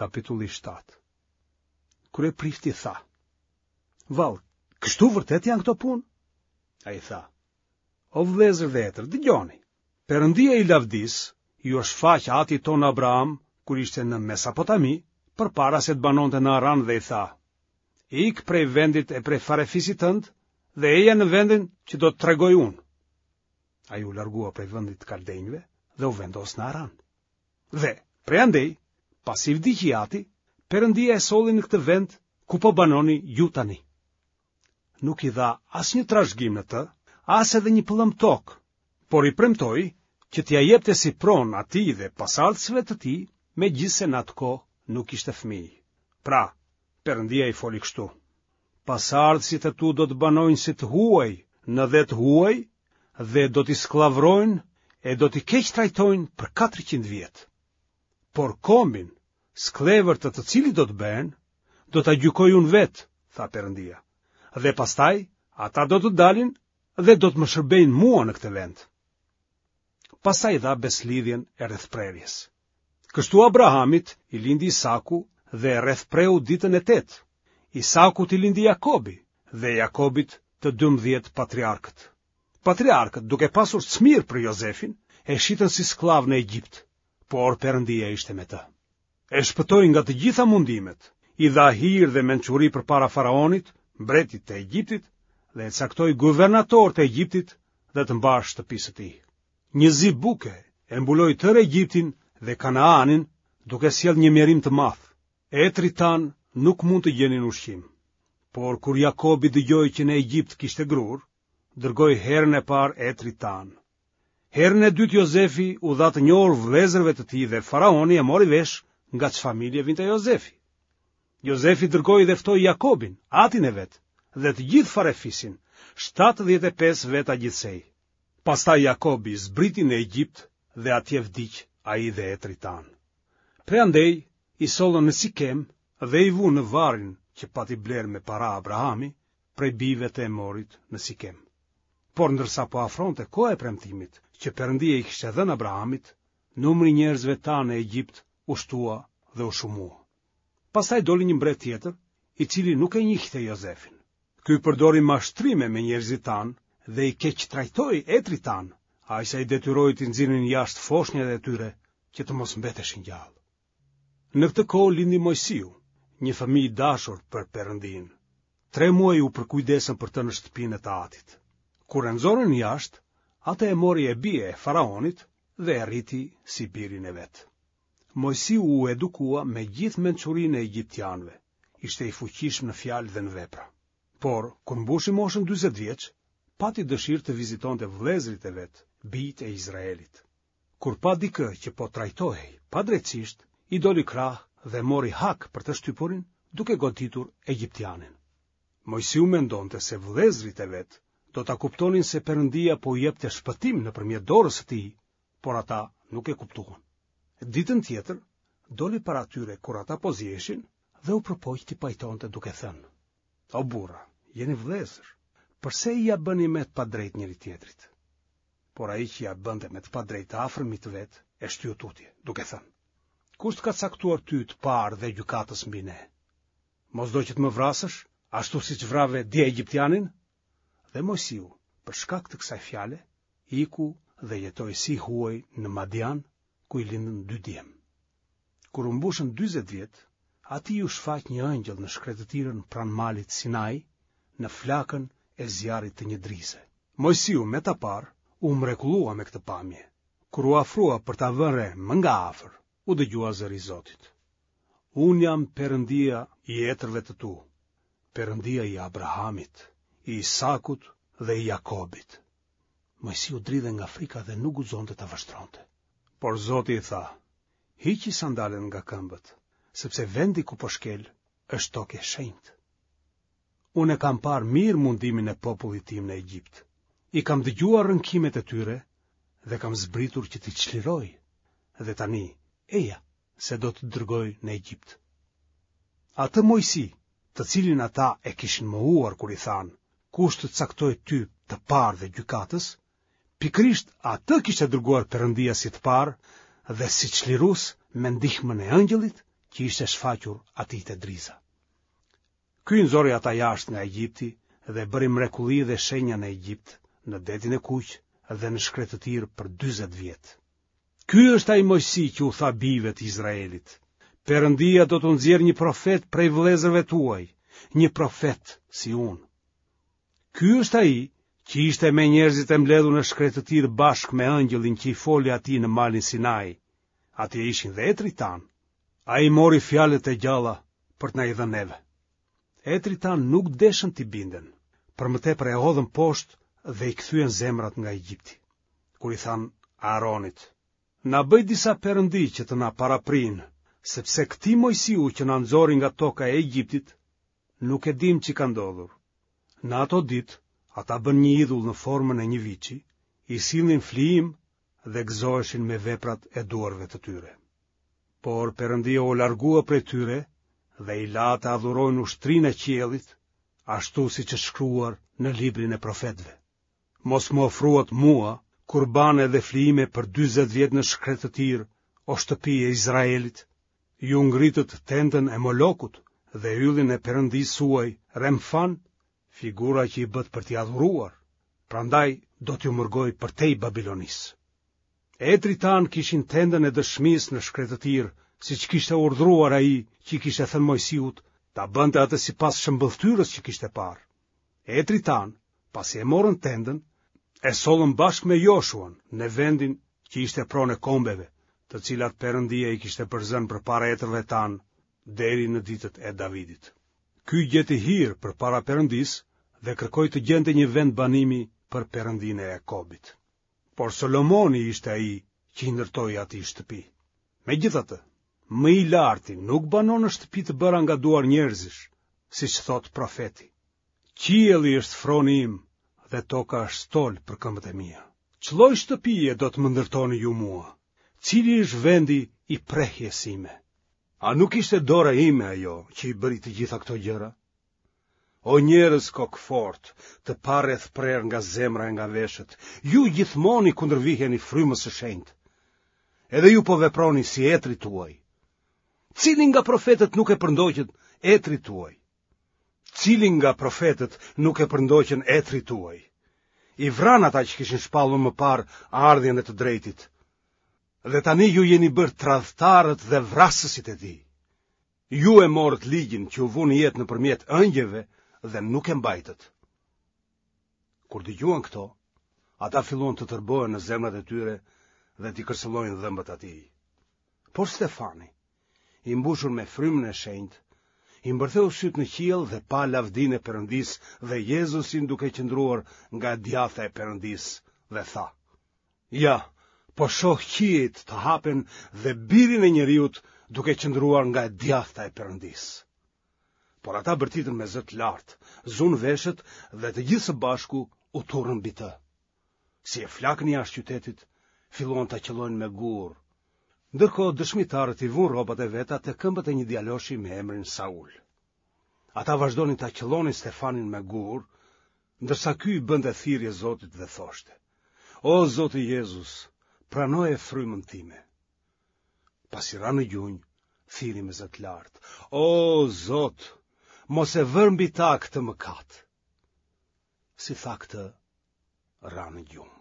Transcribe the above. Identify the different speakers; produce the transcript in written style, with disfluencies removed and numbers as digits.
Speaker 1: Kapitulli 7 Kryeprifti tha, Vallë, kështu vërtet janë këto punë? Ai tha, O vëllezër dhe etër, dëgjoni, Perëndia i lavdisë iu shfaq atit tonë Abraham kur ishte në Mesopotami, përpara se të banonte në Aran dhe i tha, Ik prej vendit e prej farefisit tënd dhe eja në vendin që do të tregoj unë. Ai u largua prej vendit të kaldenjve dhe u vendos në Aran. Dhe, prej andej, pasi vdiq i ati, Perëndia e solli në këtë vend ku po banoni ju tani. Nuk i dha asnjë trashëgim në të, as edhe një pëllëmbë tokë, por i premtoi që t'ia jepte si pronë atij dhe pasardhësve të tij, megjithëse në atë kohë nuk kishte fëmijë. Pra, Perëndia i foli kështu: Pasardhësit e tu do të banojnë si të huaj në dhe të huaj dhe do t'i skllavërojnë e do t'i keqtrajtojnë për 400 vjet. Por kombin, skllevër të të cilit do të bëhen, do ta gjykoj unë vetë, tha Perëndia. Dhe pastaj ata do të dalin dhe do të më shërbejnë mua në këtë vend. Pastaj dha besëlidhjen e rrethprerjes. Kështu Abrahamit i lindi Isaku dhe e rrethpreu ditën e tetë. Isakut i lindi Jakobi dhe Jakobit të 12 patriarkët. Patriarkët, duke pasur cmirë për Jozefin, e shitën si skllav në Egjipt, por Perëndia ishte me të. E shpëtoi nga të gjitha mundimet, i dha hir dhe mençuri përpara faraonit, mbretit të Egjiptit, dhe e caktoi guvernator të Egjiptit dhe të mbarë shtëpisë së tij. Një zi buke e mbuloi tërë Egjiptin dhe Kanaanin, duke sjellë një mjerim të madh. Etërit tanë nuk mund të gjenin ushqim. Por kur Jakobi dëgjoi që në Egjipt kishte grurë, dërgoi herën e parë etërit tanë. Herën e dytë Jozefi u dha të njohur vëllezërve të tij dhe faraoni e mori vesh nga ç'familje vinte Jozefi. Jozefi dërgoi dhe ftoi Jakobin, atin e vet, dhe të gjithë farefisin, 75 veta gjithsej. Pastaj Jakobi zbriti në Egjipt dhe atje vdiq ai dhe etërit tanë. Prej andej i sollën në Sikem dhe i vunë në varrin që pati blerë me para Abrahami prej bijve të Emorit në Sikem. Por ndërsa po afronte koha e premtimit që Perëndia i kishte dhënë Abrahamit, numri i njerëzve tanë në Egjipt u shtua dhe u shumua. Pastaj doli një mbret tjetër, i cili nuk e njihte Jozefin. Ky përdori mashtrime me njerëzit tanë dhe i keqtrajtoi etërit tanë, aq sa i detyroi t'i nxirrnin jashtë foshnjat e tyre që të mos mbeteshin gjallë. Në këtë kohë lindi Moisiu, një fëmijë i dashur për Perëndinë. Tre muaj u përkujdesën për të në shtëpinë e të atit. Kur e nxorën jashtë, atë e mori e bija e faraonit dhe e rriti si birin e vet. Moisiu u edukua me gjithë mençurinë e egjiptianëve, ishte i fuqishëm në fjalë dhe në vepra. Por, kur mbushi moshën 40 vjeç, pati dëshirë të vizitonte vëllezërit e vet, bijtë e Izraelit. Kur pa dikë që po trajtohej padrejtësisht, i doli krah dhe mori hak për të shtypurin, duke goditur egjiptianin. Moisiu mendonte se vëllezërit e vet do ta kuptonin se Perëndia po u jepte shpëtim nëpërmjet dorës së tij, por ata nuk e kuptuan. Ditën tjetër, doli para tyre kur ata po ziheshin dhe u përpoq t'i pajtonte duke thënë: O burra, jeni vëllezër, përse ia bëni me të padrejtë njëri-tjetrit? Por ai që ia bënte me të padrejtë të afërmit të vet e shtyu tutje, duke thënë: Kush të ka caktuar ty të parë dhe gjykatës mbi ne? Mos do që të më vrasësh, ashtu siç vrave dje egjiptianin? Dhe Moisiu, për shkak të kësaj fjale, iku dhe jetoi si i huaj në Madian, ku i lindën dy djem. Kur u mbushën 40 vjet, atij iu shfaq një ëngjëll në shkretëtirën pranë malit Sinai, në flakën e zjarrit të një drize. Moisiu me ta parë, u mrekullua me këtë pamje. Kur u afrua për ta vënë re më nga afër, u dëgjua zëri i Zotit. Unë jam Perëndia i etërve të tu, Perëndia i Abrahamit, i Isakut dhe i Jakobit. Moisiu dridhej nga frika dhe nuk guxonte ta vështronte. Por Zoti i tha, hiqi sandalet nga këmbët, sepse vendi ku po shkel është tokë e shenjtë. Unë e kam parë mirë mundimin e popullit tim në Egjipt. I kam dëgjuar rënkimet e tyre dhe kam zbritur që t'i çliroj. Dhe tani, eja, se do të dërgoj në Egjipt. Atë Moisi, të cilin ata e kishin mohuar kur i thanë, kush të caktoi ty të parë dhe gjykatës, pikërisht atë kishte dërguar Perëndia si të parë dhe si çlirues me ndihmën e ëngjëllit. që ishte shfaqur atij te driza. Ky i nxori ata jashtë nga Egjipti dhe bëri mrekulli dhe shenja në Egjipt, në Detin e Kuq dhe në shkretëtirë për 40 vjet. Ky është ai Moisi që u tha bijve të Izraelit. Perëndia do t'u nxjerrë një profet prej vëllezërve tuaj, një profet si unë. Ky është ai që ishte me njerëzit e mbledhur në shkretëtirë bashkë me ëngjëllin që i foli atij në malin Sinai. Atje ishin dhe etërit tanë. Ai mori fjalët e gjalla për të na i dhënë neve. Etërit tanë nuk deshën t'i binden, për më tepër e hodhën poshtë dhe i kthyen zemrat nga Egjipti. Kur i thanë Aaronit, na bëj disa perëndi që të na paraprijnë, sepse këtij Moisiu që na nxori nga toka e Egjiptit, nuk e dimë ç'i ka ndodhur. Në ato ditë, ata bënë një idhull në formën e një viçi, i sillnin flijim dhe gëzoheshin me veprat e duarve të tyre. Por Perëndia u largua prej tyre dhe i la të adhurojnë ushtrinë e qiellit, ashtu siç është shkruar në librin e profetëve. Mos më ofruat mua kurbane dhe flijime për 40 vjet në shkretëtirë, o shtëpi e Izraelit. Ju ngritët tendën e Molokut dhe yllin e perëndisë suaj Remfan, figura që i bëtë për t'i adhuruar, prandaj do t'ju mërgoj përtej Babilonisë. Etërit tanë kishin tendën e dëshmisë në shkretëtirë, siç kishte urdhëruar ai që i kishte thënë Moisiut ta bënte atë sipas shëmbëlltyrës që kishte parë. Etërit tanë, pasi e morën tendën, e sollën bashkë me Joshuan në vendin që ishte pronë e kombeve, të cilat Perëndia i kishte përzënë përpara etërve tanë deri në ditët e Davidit. Ky gjeti hir përpara Perëndisë dhe kërkoi të gjente një vend banimi për Perëndinë e Jakobit. Por Solomoni ishte ai që i ndërtoi atij shtëpi. Megjithatë, më i larti nuk banon në shtëpi të bëra nga duar njerëzish, siç thotë profeti. Qielli është froni im dhe toka është stol për këmbët e mia. Ç'lloj shtëpie do të më ndërtoni ju mua? Cili është vendi i prehjes sime? A nuk ishte dora ime ajo që i bëri të gjitha këto gjëra? O njerëz kokëfortë, të parrethprerë nga zemra e nga veshët, ju gjithmonë i kundërviheni frymës së shenjtë. Edhe ju po veproni si etërit tuaj. Cili nga profetët nuk e përndoqën etërit tuaj? Cili nga profetët nuk e përndoqën etërit tuaj? I vranë ata që kishin shpallur më parë ardhjen e të drejtit. Dhe tani ju jeni bërë tradhtarët dhe vrasësit e tij. Ju e morët ligjin që u vu në jetë nëpërmjet ëngjëjve dhe nuk e mbajtët. Kur dëgjuan këto, ata filluan të tërbohen në zemrat e tyre dhe t'i kërcëllojnë dhëmbët atij. Por Stefani, i mbushur me frymën e shenjtë, i mbërtheu sytë në qiell dhe pa lavdinë e Perëndisë dhe Jezusin duke qëndruar nga e djathta e Perëndisë dhe tha: Ja, po shoh qiejt të hapen dhe birin e njeriut duke qëndruar nga e djathta e Perëndisë. Por ata bërtitën me zë të lartë, zunë veshët dhe të gjithë së bashku u turrën mbi të. Si e flakën jashtë qytetit, filluan ta qëllojnë me gurë. Ndërkohë dëshmitarët i vunë rrobat e veta te këmbët e një djaloshi me emrin Saul. Ata vazhdonin ta qëllonin Stefanin me gurë, ndërsa ky i bënte thirrje Zotit dhe thoshte: O Zoti Jezus, pranoje frymën time. Pasi ra në gjunjë, thirri me zë të lartë: O Zot, mos e vër mbi ta këtë mëkat. Si tha këtë, ra në gjumë.